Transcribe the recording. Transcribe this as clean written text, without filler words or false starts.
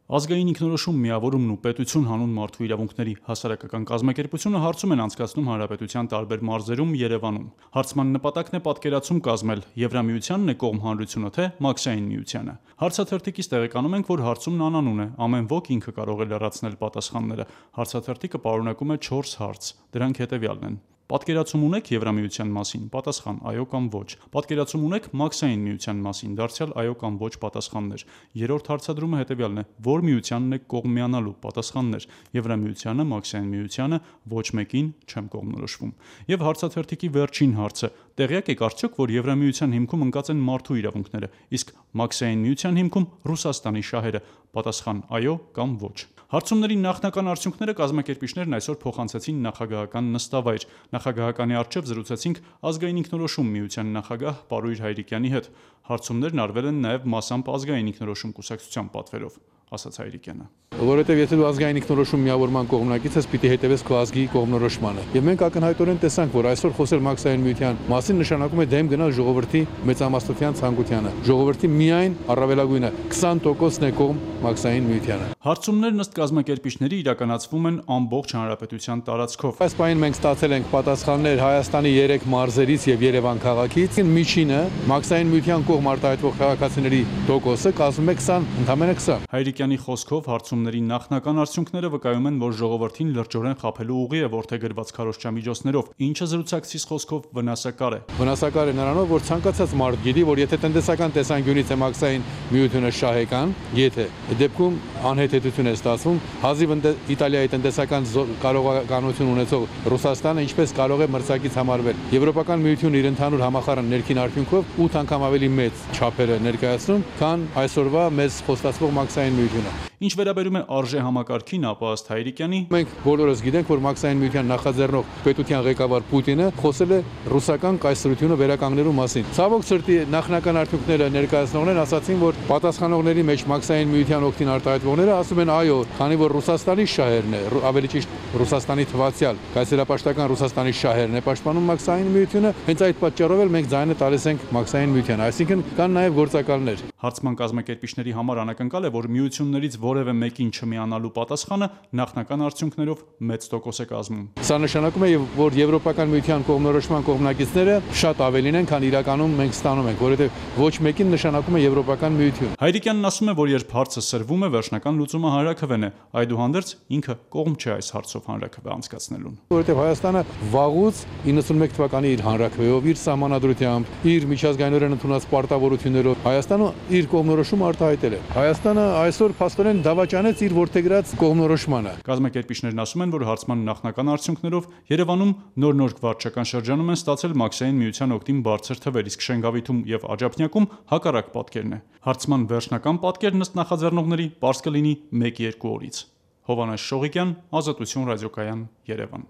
Ազգային ինքնորոշում, միավորումն ու պետություն հանուն մարդու իրավունքների հասարակական կազմակերպությունը հարցում են անցկացնում հանրապետության տարբեր մարզերում, Երևանում։ Հարցման նպատակն է պատկերացում կազմել Եվրամիությանն է կողմ հանրությունը, թե Մաքսային միությանը։ Հարցաթերթիկից տեղեկանում ենք, որ հարցումն անանուն է, ամեն ոք ինքը կարող է լրացնել պատասխանները։ Հարցաթերթիկը պարունակում է 4 հարց, դրանք հետևյալն են. Պատկերացում ունեք Եվրամիության մասին, պատասխան՝ այո կամ ոչ։ Պատկերացում ունեք Մաքսային միության մասին, դարձյալ այո կամ ոչ պատասխաններ։ Երրորդ հարցադրումը հետևյալն է. որ միությանն եք կողմ միանալու, պատասխաններ՝ Եվրամիությանը, Մաքսային միությանը, ոչ մեկին չեմ կողմնորոշվում։ Եվ հարցաթերթիկի վերջին հարցը. տեղյակ եք արդյոք, որ Եվրամիության հիմքում ընկած են մարդու իրավունքները, իսկ Մաքսային միության հիմքում Ռուսաստանի շահերը, պատասխան՝ այո կամ ոչ։ Հարցումների նախնական արդյունքները կազմակերպիչներն այսօր փոխանցեցին նախագահական նստավայր։ Նախագահականի առջև զրուցեցինք Ազգային ինքնորոշում միության նախագահ Պարույր Հայրիկյանի հետ։ Հարցումներն արվել են նաև մասամբ Ազգային ինքնորոշում կուսակցության պատվերով, ասաց Հայրիկյանը։ Որովհետև եթե դու ազգային ինքնորոշում միավորման կողմնակից ես, պիտի հետևես քո ազգի կողմնորոշմանը։ Եվ մենք ակնհայտորեն տեսանք, որ այսօր խոսել Մաքսային միության մասին նշանակում է դեմ գնալ ժողովրդի մեծամասնության ցանկությանը։ Ժողովրդի միայն առավելագույնը 20%-ն է կողմ Մաքսային միությանը։ Հարցումներն ըստ կազմակերպիչների իրականացվում են ամբողջ հանրապետության տարածքով։ Այս պահին մենք ստացել ենք պատասխաններ Հայաստանի 3 մարզերից եւ Երևան քաղաքից։ Միջինը Մաքսային միության կողմ արտահայտվող քաղաքացիների տոկոսը կազմում է 20, ընդամենը 20։ Հայրիկյանի խոսքով հարցումների նախնական արդյունքները վկայում են, որ ժողովրդին լրջորեն խաբելու ուղի է որդեգրված քարոզչամիջոցներով, ինչը զրուցակցիս խոսքով վնասակար է։ Վնասակար է նրանով, որ ցանկացած մարդ գիտի, որ եթե տնտեսական տեսանկյունից է Մաքսային միությունը շահեկան, եթե դեպքում անհեթեթություն է ստացվում, հազիվ Իտալիայի տնտեսական կարողականություն ունեցող Ռուսաստանը ինչպես կարող է մրցակից համարվել։ Եվրոպական միությունը իր ընդհանուր համախառն ներքին արդյունքով 8 անգամ ավելի մեծ չափեր է ներկայացնում, քան այսօրվա մեզ խոստացվող Մաքսային միությունը։ Ինչ վերաբերում է արժե համակարգին, ապա ըստ Հայրիկյանի մենք բոլորս գիտենք, որ Մաքսային միության նախաձեռնող պետության ղեկավար Պուտինը խոսել է ռուսական կայսրությունը վերականգնելու մասին։ Ցավոք սրտի նախնական արդյունքները ներկայացնողներն ասացին, որ պատասխանողների մեջ Մաքսային միության օգտին արտահայտվողները ասում են այո, քանի որ Ռուսաստանի շահերն է, ավելի ճիշտ Ռուսաստանի թվացial կայսերապաշտական Ռուսաստանի շահերն է պաշտպանում Մաքսային միությունը, հենց այդ պատճառով էլ մենք ձայնը տալիս ենք Մաքսային միությանը, այսինքն կան նաև գործակալներ։ Հարցման կազմակերպիչների համար անակնկալ է, որ միություններից որևէ մեկին չմիանալու պատասխանը նախնական արդյունքներով մեծ տոկոս է կազմում։ Սա նշանակում է, որ Եվրոպական միության կողմնորոշման կողմնակիցները շատ ավելին են, քան իրականում մենք ստանում ենք, որովհետև ոչ մեկին նշանակում է Եվրոպական միություն։ Հայրիկյանն ասում է, որ երբ հարցը սրվում է, վերջնական լուծումը հանրաքվեն է, այդուհանդերձ ինքը կողմ չէ այս հարցով հանրաքվե անցկացնելուն։ Որովհետև Հայաստանը վաղուց 91 թվականի իր հանրաքվեով, իր սահմանադրությամբ, իր միջազգայինորեն ընդունած պարտավորություններով Հայաստանը իր կողմնորոշումը արտահայտել է։ Հայաստանը այսօր փաստորեն դավաճանեց իր որդեգրած կողմնորոշմանը։ Կազմակերպիչներն ասում են, որ հարցման նախնական արդյունքներով Երևանում նոր վարչական շրջանում են ստացել Մաքսային միության օգտին բարձր թվեր, իսկ Շենգավիթում եւ Աջափնյակում հակառակ պատկերն է։ Հարցման վերջնական պատկերն ըստ նախաձեռնողների պարզ կլինի 1-2 օրից։ Հովհաննես Շողիկյան, Ազատություն ռադիոկայան, Երևան։